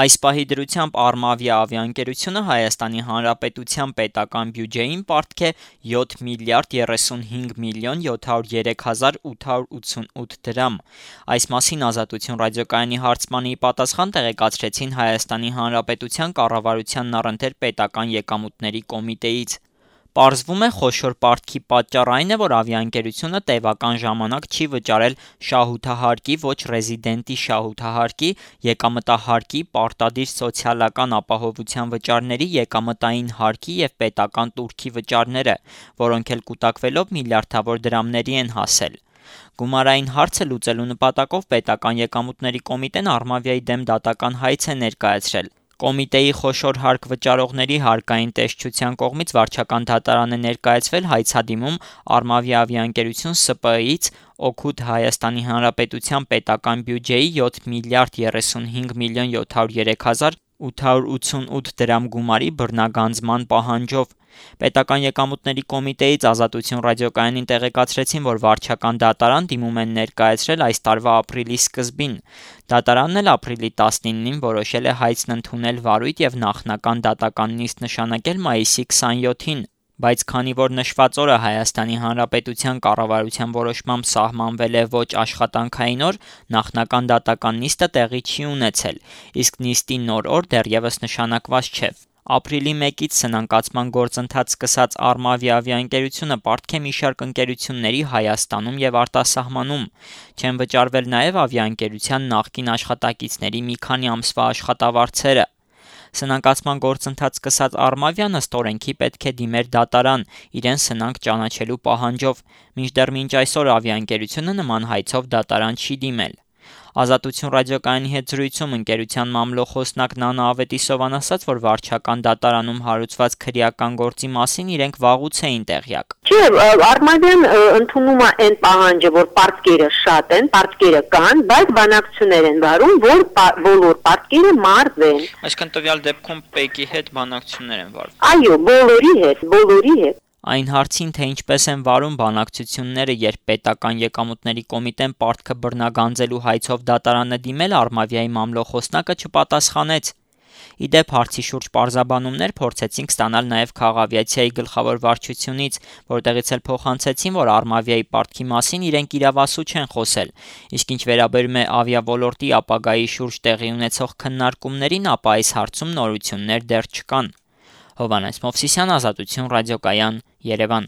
Այս պահի դրությամբ Armavia ավիաընկերությունը Հայաստանի Հանրապետության պետական բյուջեին պարտք է 7 միլիարդ 35 միլիոն 703 հազար 888 դրամ։ Այս մասին Ազատություն ռադիոկայանի հարցմանի պատասխան տեղեկացրեցին Հայաստանի Հանրապետության կառավարությանն առընթեր պետական եկամուտների կոմիտեից։ Պարզվում է խոշոր պարտքի պատճառ այն է, որ ավիաընկերությունը տևական ժամանակ չի վճարել շահութահարկի, ոչ ռեզիդենտի շահութահարկի, եկամտահարկի, պարտադիր սոցիալական ապահովության վճարների, եկամտային հարկի և պետական տուրքի վճարները, որոնք էլ կուտակվելով միլիարդավոր դրամների են հասել։ Գումարային հարցը լուծելու նպատակով պետական եկամուտների կոմիտեն Armavia-ի դեմ դատական հայց է ներկայացրել։ Կոմիտեի խոշոր հարկ վճարողների հարկային տեսչության կողմից վարչական դատարան է ներկայացվել հայցադիմում Armavia ավիաընկերություն ՍՊԸ-ից օգուտ Հայաստանի Հանրապետության պետական բյուջեի 7 միլիարդ 35 միլիոն 703 հազար 888 դրամ գումարի բռնագանձման պահանջով։ Պետական եկամուտների կոմիտեից Ազատություն ռադիոկայանին տեղեկացրեցին, որ վարչական դատարան դիմում են ներկայացրել այս տարվա ապրիլի սկզբին։ Դատարանն էլ ապրիլի 19-ին որոշել է հայցն ընդունել վարույթ եւ նախնական դատական նիստ նշանակել մայիսի 27-ին։ Բայց քանի որ նշված օրը Հայաստանի Հանրապետության կառավարության որոշմամբ սահմանվել է ոչ աշխատանքային օր, նախնական դատական նիստը տեղի չի ունեցել, իսկ նիստի նոր օր դեռևս նշանակված չէ։ Ապրիլի 1-ից սնանկացման գործընթաց սկսած Armavia ավիաընկերությունը պարտք է մի շարք ընկերությունների Հայաստանում եւ արտասահմանում։ Չեն վճարվել նաեւ ավիաընկերության նախկին աշխատակիցների մի քանի ամսվա աշխատավարձերը։ Սնանկացման գործընթաց սկսած Armavia-ն ըստ օրենքի պետք է դիմեր դատարան իրեն սնանկ ճանաչելու պահանջով, մինչդեռ մինչ այսօր ավիաընկերությունը նման հայցով դատարան չի դիմել։ Ազատություն ռադիոկայանի հետ զրույցում ընկերության մամլոխոսնակ Նանա Ավետիսովան ասաց, որ վարչական դատարանում հարուցված քրեական գործի մասին իրենք վաղուց էին տեղյակ։ Չէ, Armavia-ն ընդունում է այն պահանջը, որ պարտքերը շատ են, պարտքերը կան, բայց բանակցություններ են վարում, որ բոլոր պարտքերը մարզեն։ Այսինքն տվյալ դեպքում ՊԵԿ-ի հետ բանակցություններ են վարվում։ Այո, բոլորի հետ։ Այն հարցին, թե ինչպես են վարում բանակցությունները, երբ պետական եկամուտների կոմիտեն պարտքը բռնագանձելու հայցով դատարանը դիմել, Armavia-ի մամլոխոսնակը չպատասխանեց։ Իդեպ հարցի շուրջ պարզաբանումներ փորձեցինք ստանալ նաև Քաղավիացիայի գլխավոր վարչությունից, որտեղից էլ փոխանցեցին, որ Armavia-ի պարտքի մասին իրենք իրավասու չեն խոսել։ Իսկ ինչ վերաբերում է ավիաոլորտի ապագայի շուրջ տեղի ունեցող քննարկումներին, ապա այս հարցում նորություններ դեռ չկան։ Հովհաննես Մովսիսյան, Ազատություն ռադիոկայան, Երևան։